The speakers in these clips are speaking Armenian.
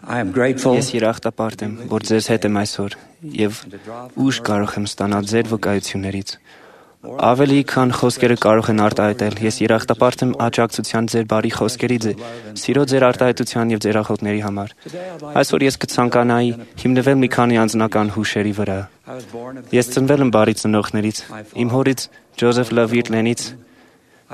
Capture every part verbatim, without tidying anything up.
I am grateful Ես երախտապարտ եմ, որ ձեզ հետ եմ այսօր եւ ուժ կարող եմ ստանալ ձեր վկայություններից։ Ավելի քան խոսքերը կարող են արտահայտել, ես երախտապարտ եմ աջակցության ձեր բարի խոսքերի, սիրո ձեր արտահայտության եւ ձեր աղոթքների համար։ Այսօր ես կցանկանայի հիմնվել մի քանի անձնական հուշերի վրա։ Ես ծնվել եմ բարի ծնողներից, իմ հորից Ջոզեֆ Լավիրլենից։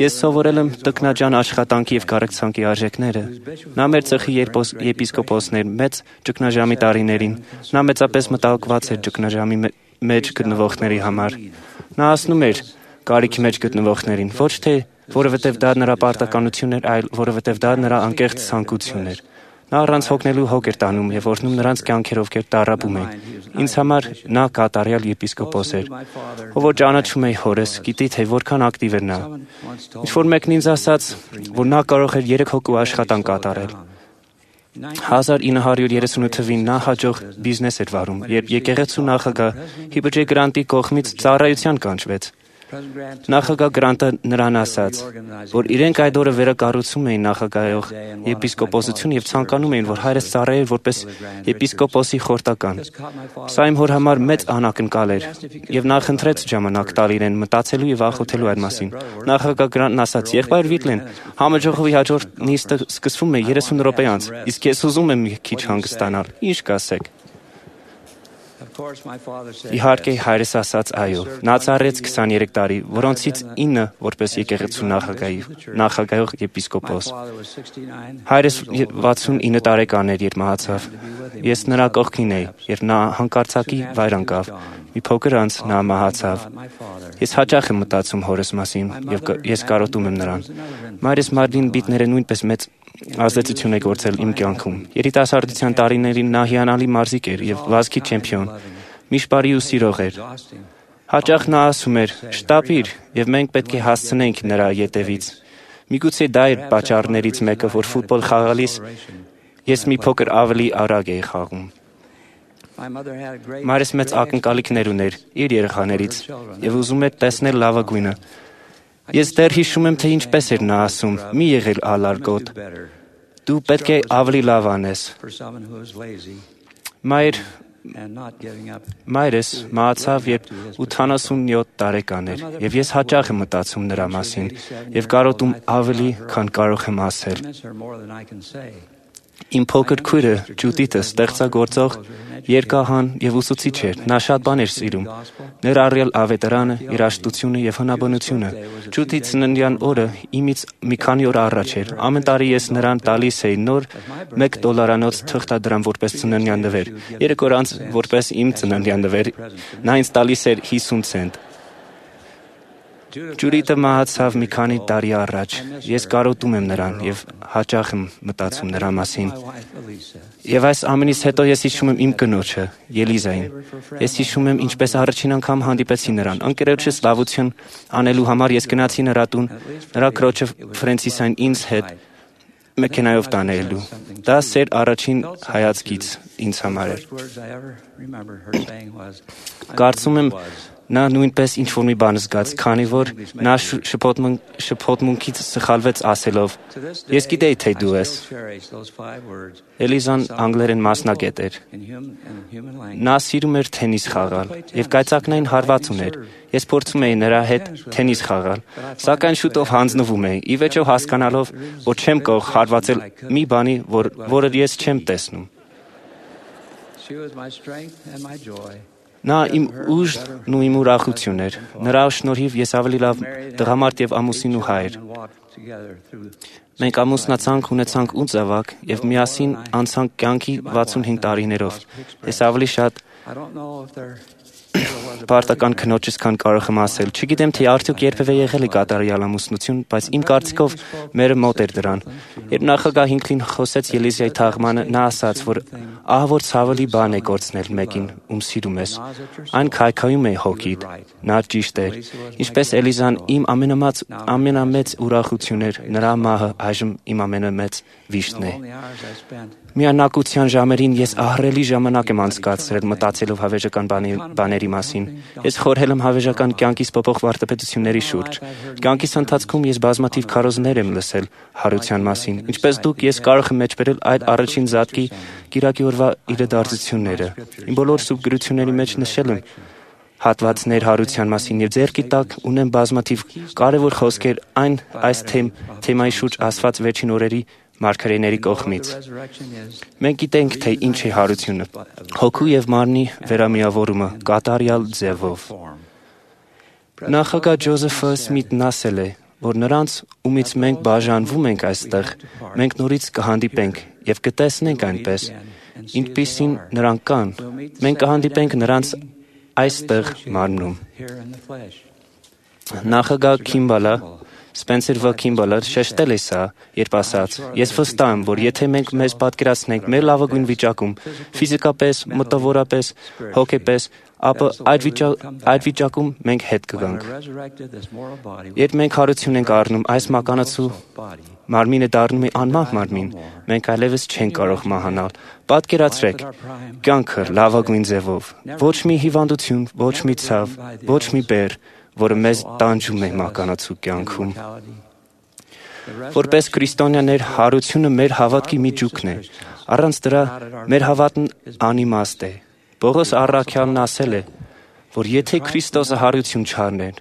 Ես սովորել եմ տքնաջան աշխատանքի եւ կարեկցանքի արժեքները։ Նա մեր ցեղի եպիսկոպոսն էր մեծ ճգնաժամի տարիներին։ Նա մեծապես մտահոգված էր ճգնաժամի մեջ գտնվողների համար։ Նա ասում էր կարիքի մեջ գտնվողներին, ոչ թե որովհետև դա նրա պարտականություն էր, այլ որովհետև դա նրա անկեղծ ցանկություն էր։ Նա առանց հոգնելու հոգ էր տանում եւ օրհնում նրանց կյանքեր, ովքեր տառապում էին։ Ինձ համար նա կատարյալ եպիսկոպոս էր։ Ով որ ճանաչում էի հորս, գիտի թե որքան ակտիվ էր նա։ Ինչ-որ մեկն ինձ ասաց, որ նա կարող էր երեք հոգու աշխատանք կատարել։ հազար ինը հարյուր երեսունութ թվականին նա հաջող բիզնես էր վարում, երբ եկեղեցու նախագահ Հիբջե Գրանտի կողմից ծառայության կանչվեց։ Նախագահ Գրանտը նրան ասաց, որ իրենք այդ օրը վերակառուցում էին նախագահող եպիսկոպոսություն եւ ցանկանում էին, որ հայրս ծառայեր որպես եպիսկոպոսի խորտական։ Սա իմ հոր համար մեծ անակնկալ էր եւ նա խնդրեց ժամանակ տալ իրեն մտածելու եւ աղոթելու այդ մասին։ Նախագահ Գրանտն ասաց. «Եղբայր Վիթլեն, համաժողովի հաջորդ նիստը սկսվում է երեսուն րոպե անց, իսկ ես ուզում եմ մի քիչ հանգստանալ։ Ինչ կասեք»։ Իհարկե հայրս ասաց այո։ Նա ծառայեց քսաներեք տարի, որոնցից ինը որպես եկեղեցու նախագահի նախագահող եպիսկոպոս։ Հայրս վաթսունինը տարեկան էր, երբ մահացավ։ Ես նրա կողքին էի, երբ նա հանկարծակի վայր ընկավ։ Մի փոքր անց նա մահացավ։ Ես հաճախ եմ մտածում հորս մասին եւ ես կարոտում եմ նրան։ Մայրս Մարլին Բիտները նույնպես մեծ ազդեցություն է գործել իմ կյանքում։ Երիտասարդության տարիներին նա հիանալի մարզիկ էր եւ վազքի չեմպիոն։ Միշտ բարի ու սիրող էր։ Հաճախ նա ասում էր. «Շտապիր, եւ մենք պետք է հասցնենք նրա ետևից»։ Միգուցե դա էր պատճառներից մեկը, որ ֆուտբոլ խաղալիս ես մի փոքր ավելի արագ էի խաղում։ Մայրս մեծ ակնկալիքներ ուներ իր երեխաներից եւ ուզում էր տեսնել լավագույնը։ Ես դեռ հիշում եմ, թե ինչպես էր նա ասում. «Մի եղել ալարգոտ, դու պետք է ավելի լավ անես»։ Մայր Մայրս մահացավ, երբ ութանասունյոթ տարեկան էր, եւ ես հաճախ եմ մտածում նրա մասին եւ կարոտում ավելի, քան կարող եմ ասել։ Իմ փոքր քույրը Ջուդիթը ստեղծագործող, երգահան եւ ուսուցիչ էր։ Նա շատ բաներ սիրում, ներառյալ ավետարանը, երաժշտությունը եւ հնաբնությունը։ Ջուդիթ ծննդյան օրը իմից մի քանի օր առաջ էր։ Ամեն տարի ես նրան տալիս էի նոր մեկ դոլարանոց թղթադրամ որպես ծննդյան նվեր։ Երեք օր անց որպես իմ ծննդյան նվեր նա ինձ տալիս էր հիսուն ցենտ։ Ջուրիտը մահացավ մի քանի տարի առաջ։ Ես կարոտում եմ նրան եւ հաճախ եմ մտածում նրա մասին։ Եվ այս ամենից հետո ես հիշում եմ իմ կնոջը, Ելիզային։ Ես հիշում եմ, ինչպես առաջին անգամ հանդիպեցի նրան։ Ընկերոջս լավություն անելու համար ես գնացի նրա տուն, նրա քրոջը Ֆրենսիսային ինձ հետ մեքենայով տանելու։ Դա սեր առաջին հայացքից ինձ համար էր։ Կարծում եմ նա նույնպես ինչ-որ մի բան զգաց, քանի որ նա շփոթմունքից սխալվեց ասելով. «Ես գիտեի, թե դու ես»։ Էլիզան անգլերեն մասնագետ էր։ Նա սիրում էր թենիս խաղալ եւ կայծակնային հարված ուներ։ Ես փորձում էի նրա հետ թենիս խաղալ, սակայն շուտով հանձնվում էի, ի վերջո հասկանալով, որ չեմ կարող հարվածել մի բանի, որ, որը ես չեմ տեսնում։ Նա իմ ուժն ու իմ ուրախությունն էր։ Նրա շնորհիվ ես ավելի լավ տղամարդ եւ ամուսին ու հայր։ Մենք ամուսնացանք, ունեցանք ութ զավակ եւ միասին անցանք կյանքի վաթսունհինգ տարիներով։ Ես ավելի շատ պարտական քնոջս քան կարող եմ ասել։ Չգիտեմ, թե արդյոք երբևէ եղել է կատարյալ ամուսնություն, բայց իմ կարծիքով մերը մոտ էր դրան։ Երբ նախագահ Հինքլին խոսեց Ելիզայի թաղմանը, նա ասաց, որ ահա որ ցավալի բան է կորցնել մեկին, ում սիրում ես։ Այն քայքայում է հոգիդ։ Նա ճիշտ էր։ Ինչպես Էլիզան իմ ամենամեծ ամենամեծ ուրախությունն էր, նրա մահը այժմ իմ ամենամեծ վիշտն է։ Միանակության ժամերին ես ահռելի ժամանակ եմ անցկացրել մտածելով հավերժական բաների մասին։ մասին։ Ես խորհել եմ հավերժական կյանքիս փոփոխ վարդապետությունների շուրջ։ Կյանքիս ընթացքում ես բազմաթիվ քարոզներ եմ լսել հարության մասին։ Ինչպես դուք, ես կարող եմ մեջբերել այդ առաջին զատկի կիրակի օրվա իրադարձությունները։ Իմ բոլոր սուրբ գրությունների մեջ նշել եմ հատվածներ հարության մասին եւ ձեռքի տակ ունեմ բազմաթիվ կարևոր խոսքեր այն այս թեմ, թեմայի շուրջ ասված վերջին օրերի մարգարեների կողմից։ Մենք գիտենք, թե ինչ է հարությունը։ Հոգու եւ մարմնի վերամիավորումը կատարյալ ձևով։ Նախագահ Ջոզեֆը Սմիթն ասել է, որ նրանց, ումից մենք բաժանվում ենք այստեղ, մենք նորից կհանդիպենք եւ կտեսնենք այնպես, ինչպիսին նրանք կան։ Մենք կհանդիպենք նրանց այստեղ մարմնում։ Նախագահ Քիմբալը Սպենսեր Վ. Քիմբալը շեշտել է սա, երբ ասաց. «Ես վստահ եմ, որ եթե մենք մեզ պատկերացնենք մեր լավագույն վիճակում, ֆիզիկապես, մտավորապես, հոգեպես, ապա այդ, վիճա, այդ վիճակում մենք հետ կգանք։ Երբ մենք հարություն ենք առնում այս մականացու մարմինը դառնում է անմահ մարմին, մենք այլևս չենք կարող մահանալ։ Պատկերացրեք, կյանքը լավագույն ձևով, ոչ մի հիվանդություն, ոչ մի ցավ, ոչ մի բեռ, որը մեզ տանջում է մականացու կյանքում։ Որպես քրիստոնյաներ, հարությունը մեր հավատքի միջուկն է։ Առանց դրա մեր հավատն անիմաստ է։ Պողոս առաքյալն ասել է, որ եթե Քրիստոսը հարություն չառներ,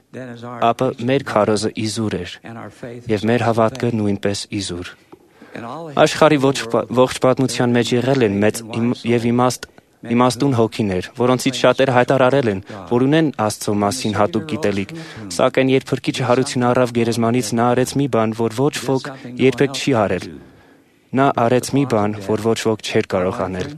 ապա մեր քարոզը իզուր էր, եւ մեր հավատքը նույնպես իզուր։ Աշխարհի ողջ պատմության մեջ եղել են մեծ եւ իմաստ իմաստուն հոգիներ, որոնցից շատերը հայտարարել են, որ ունեն Աստծո մասին հատուկ գիտելիք, սակայն երբ Փրկիչը հարություն առավ գերեզմանից, նա արեց մի բան, որ ոչ ոք երբեք չի արել։ Նա արեց մի բան, որ ոչ ոք չէր կարող անել։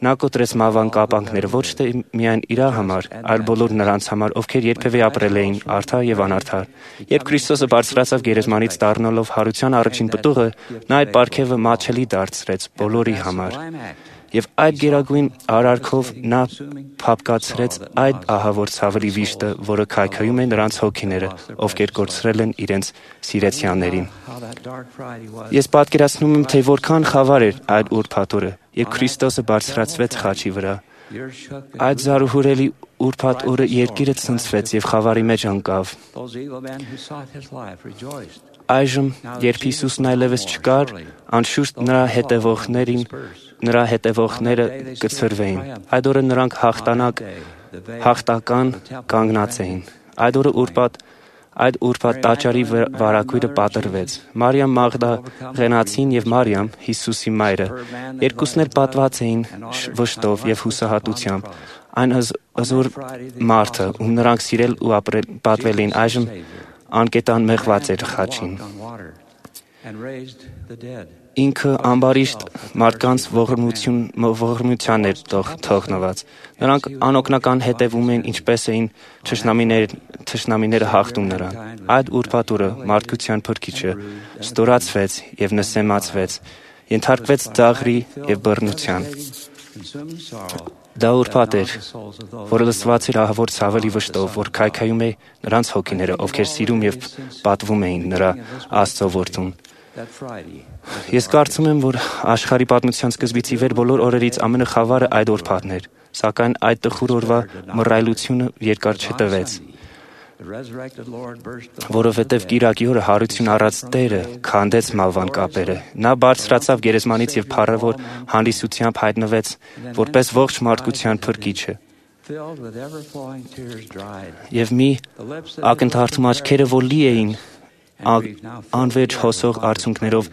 Նա կոտրեց մահվան կապանքները ոչ թե միայն իր համար, այլ բոլոր նրանց համար, ովքեր երբևէ ապրել էին արդար եւ անարդար։ Երբ Քրիստոսը բարձրացավ գերեզմանից դառնալով հարության առաջին պտուղը, նա այդ պարգևը մատչելի դարձրեց բոլորի համար։ Եվ այդ գերագույն արարքով նա փափկացրեց այդ ահավոր ցավալի վիշտը, որը քայքայում է նրանց հոգիները, ովքեր կորցրել են իրենց սիրեցյաններին։ Ես պատկերացնում եմ, թե որքան խավար էր այդ ուրբաթ օրը, երբ Քրիստոսը բարձրացվեց խաչի վրա։ Այդ զարուհուրելի ուրբաթ օրը երկիրը ցնցվեց եւ խավարի մեջ ընկավ։ Այժմ, երբ Հիսուսն այլևս չկար, անշուշտ նրա հետևողներին նրա հետևողները կցրվեին։ Այդ օրը նրանք հաղթանակ, հաղթական կանգնած էին։ Այդ օրը ուրբաթ, այդ ուրբաթ տաճարի վարագույրը պատրվեց։ Մարիամ Մաղդաղենացին եւ Մարիամ, Հիսուսի մայրը, երկուսն էլ պատված էին վշտով եւ հուսահատությամբ։ Այն հզոր մարդը, ում նրանք սիրել ու ապրել պատվել էին, այժմ անկետան մեղված էր խաչին։ Ինքը ամբարիշտ մարդկանց ողորմության էր թողնված։ Նրանք անօգնական հետևում էին, ինչպես էին թշնամիները հաղթում նրան։ Այդ ուրբաթ օրը մարդկության Փրկիչը ստորացվեց եւ նսեմացվեց, ենթարկվեց ծաղրի եւ բռնության։ Դա ուրբաթ էր, որը լսված էր ահավոր ցավալի վշտով, որ քայքայում է նրանց հոգիները, ովքեր սիրում եւ պատվում էին նրա Աստծո որդուն։ Ես կարծում եմ, որ աշխարհի պատմության սկզբից ի վեր բոլոր օրերից ամենախավարը այդ ուրբաթն էր, սակայն այդ տխուր օրվա մռայլությունը երկար չտևեց, որովհետև կիրակի օրը հարություն առած Տերը քանդեց մահվան կապերը։ Նա բարձրացավ գերեզմանից եւ փառավոր հանդիսությամբ հայտնվեց որպես ողջ մարդկության Փրկիչը։ Եվ մի ակնթարթում աչքերը, որ լի էին անվերջ հոսող արցունքներով,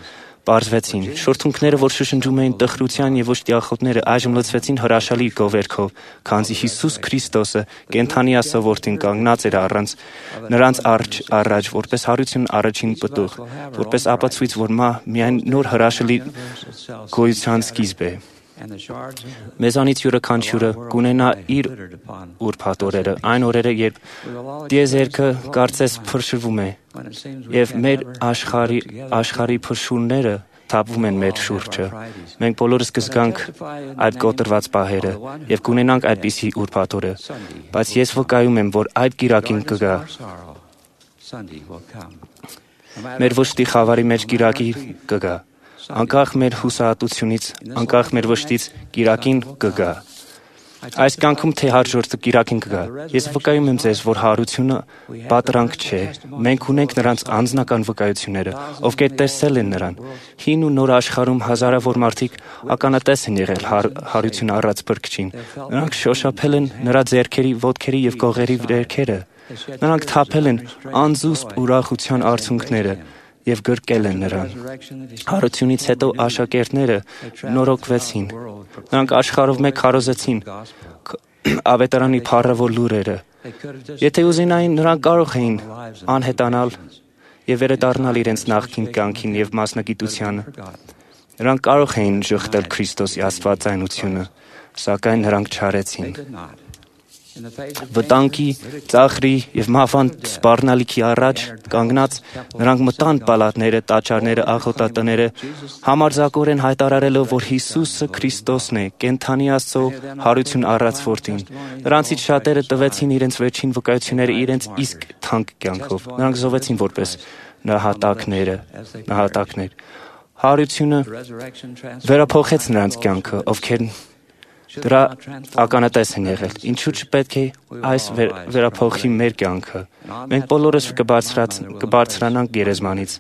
պարզվեցին։ Շուրթունքները, որ շշնջում էին տխրության եւ ոչտիախոտները, այժմ լցվեցին հրաշալի գովերքով, քանզի Հիսուս Քրիստոսը կենդանի Աստծո որդին կանգնած էր առանց նրանց արջ առաջ, որպես հարություն առաջին պտուղ, որպես ապացույց, որ մահ միայն նոր հրաշալի գոյության սկիզբ է։ Մեզանից յուրաքանչյուրը կունենա իր ուրբաթ օրերը, այն օրերը, երբ տիեզերքը կարծես փրկվում է, եւ մեր աշխարհի աշխարհի փրկությունները թափվում են մեր շուրջը։ Մենք բոլորս կզգանք այդ կոտրված պահերը եւ կունենանք այդպիսի ուրբաթ օրը, բայց ես վկայում եմ, որ այդ կիրակին կգա։ Մեր վշտի խավարի մեջ կիրակի կգա։ Անկախ մեր հուսահատությունից, անկախ մեր վշտից կիրակին կգա։ Այս կյանքում թե հարժորդը կիրակին կգա։ Ես վկայում եմ ձեզ, որ հարությունը պատրանք չէ։ Մենք ունենք նրանց անձնական վկայությունները, ովքեր տեսել են նրան։ Հին ու նոր աշխարհում հազարավոր մարդիկ ականատես են եղել հարություն առած Փրկչին։ Նրանք շոշափել են նրա ձեռքերի, ոտքերի եւ կողերի վերքերը։ Նրանք թափել են անզուսպ ուրախության արցունքները եւ գրկել են նրան։ Հարությունից հետո աշակերտները նորոգվեցին։ Նրանք աշխարհով մեկ քարոզեցին ավետարանի փառավոր լուրերը։ Եթե ուզենային, նրանք կարող էին անհետանալ եւ վերադառնալ իրենց նախկին կյանքին եւ մասնագիտությանը։ Նրանք կարող էին ժխտել Քրիստոսի աստվածայնությունը, սակայն նրանք չարեցին։ Վտանգի, ծաղրի եւ մահվան սպառնալիքի առաջ կանգնած նրանք մտան պալատները, տաճարները, աղոթատները, համարձակորեն հայտարարելով, որ Հիսուսը Քրիստոսն է, կենդանի Աստծո հարություն առած որդին։ Նրանցից շատերը տվեցին իրենց վերջին վկայությունները իրենց իսկ թանկ կյանքով։ Նրանք զոհվեցին որպես նահատակները, նահատակներ։ Հարությունը վերափոխեց նրանց կյանքը, ովքեր դրա ականատես են եղել։ Ինչու՞ չպետք է այս վերափոխի մեր կյանքը։ Մենք բոլորս կբարձրանանք գերեզմանից։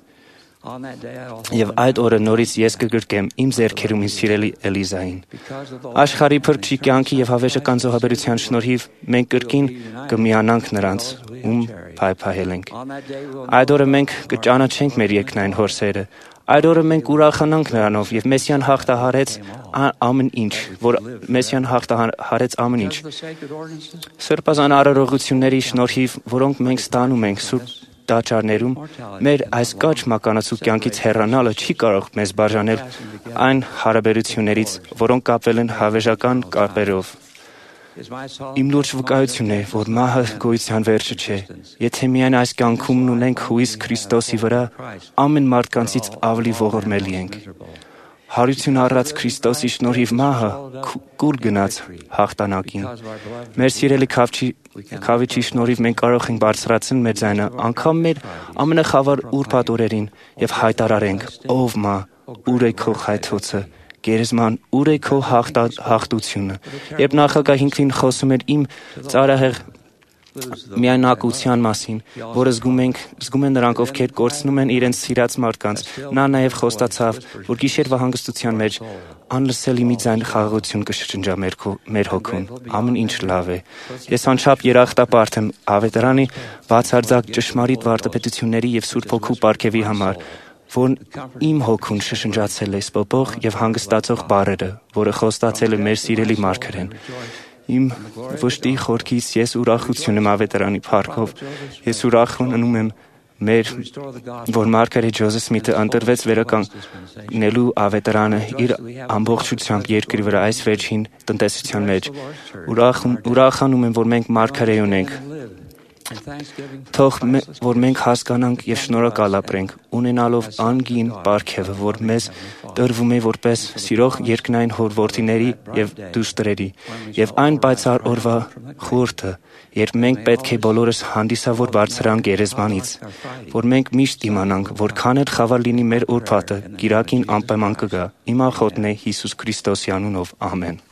Եվ այդ օրը նորից ես կգրկեմ իմ ձեռքերում իմ սիրելի Էլիզային։ Աշխարհի Փրկչի կյանքի եւ հավերժական զոհաբերության շնորհիվ մենք կրկին կմիանանք նրանց, ում փայփայել ենք։ Այդ օրը մենք կճանաչենք մեր երկնային հորսերը։ Այդ օրը մենք ուրախանանք նրանով եւ Մեսիան հաղթահարեց ամեն ինչ, որ Մեսիան հաղթահարեց ամեն ինչ։ Սրբազան արարողությունների շնորհիվ, որոնք մենք ստանում ենք սուրբ տաճարներում, մեր այս կարճ մականացու կյանքից հեռանալը չի կարող մեզ բաժանել այն հարաբերություններից, որոնք կապվել են հավերժական կապերով։ Իմ լուրջ վկայությունն է, որ մահը գոյության վերջը չէ։ Եթե միայն այս կյանքում ունենք հույս Քրիստոսի վրա, ամեն մարդկանցից ավելի ողորմելի ենք։ Հարություն առած Քրիստոսի շնորհիվ մահը կուլ գնաց հաղթանակին։ Մեր սիրելի Քավիչի շնորհիվ մենք կարող ենք բարձրացնել մեր ձայնը անգամ մեր ամենախավար ուրբաթ օրերին եւ հայտարարենք. «Ով մա, ուր է քո խայթոցը, գերեզման, ուր է քո հաղթությունը»։ Երբ նախագահ Ինքնին խոսում էր իմ ծարահեղ միայնակության մասին, որը զգում ենք, զգում են նրանք, ովքեր կորցնում են իրենց սիրած մարդկանց, նա նաև խոստացավ, որ գիշերվա հանգստության մեջ անլսելի մի ձայն խաղաղություն կշրջնջա մեր հոգուն։ Ամեն ինչ լավ է։ Ես անչափ երախտապարտ եմ ավետարանի բացարձակ ճշմարիտ վարդապետությունների եւ Սուրբ Հոգու պարգևի համար, որն իմ հոգուն շշնջացել է սպոպող եւ հանգստացող բառերը, որը խոստացել է մեր սիրելի մարգարեն։ Իմ վշտի խորքից ես ուրախություն եմ ավետարանի փառքով։ Ես ուրախանում եմ մեր, որ մարգարե Ջոզեֆ Սմիթը ընտրվեց վերականգնելու ավետարանը իր ամբողջությամբ երկրի վրա այս վերջին տնտեսության մեջ։ Ուրախանում եմ, որ մենք մարգարե ունենք։ Թող որ մենք հասկանանք եւ շնորհակալ ապրենք, ունենալով անգին պարգևը, որ մեզ տրվում է որպես սիրող երկնային հորորդիների եւ դուստրերի, եւ այն պայծառ օրվա խորհուրդը, երբ մենք պետք է բոլորս հանդիսավոր բարձրանանք գերեզմանից, որ մենք միշտ իմանանք, որքան էլ խավար լինի մեր ուրբաթը, գիրակին անպայման կգա։ Իմ աղոթն է Հիսուս Քրիստոսի անունով։ Ամեն։